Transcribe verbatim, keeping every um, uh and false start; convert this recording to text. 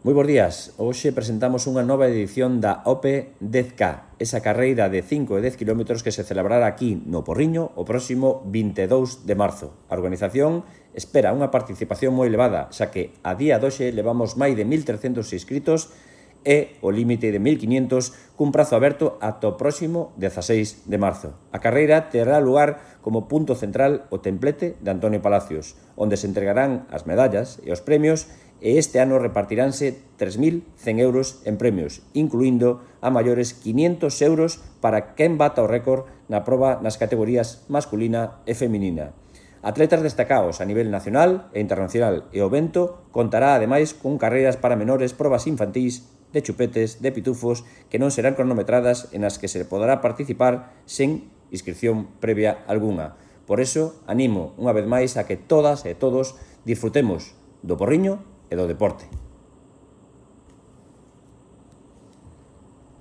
Moi bons días, hoxe presentamos unha nova edición da O P dez K, esa carreira de cinco e dez kilómetros que se celebrará aquí no Porriño o próximo vinte e dous de marzo. A organización espera unha participación moi elevada, xa que a día doxe levamos máis de mil trescentos inscritos e o límite de mil quinientos cun prazo aberto ata o próximo dezaseis de marzo. A carreira terá lugar como punto central o templete de Antonio Palacios, onde se entregarán as medallas e os premios e este ano repartiránse tres mil cen euros en premios, incluindo a maiores quinientos euros para quen bata o récord na proba nas categorías masculina e feminina. Atletas destacados a nivel nacional e internacional e o evento contará ademais con carreiras para menores, probas infantís, de chupetes, de pitufos, que non serán cronometradas e nas que se poderá participar sen inscripción previa algunha. Por eso, animo unha vez máis a que todas e todos disfrutemos do Porriño e do deporte.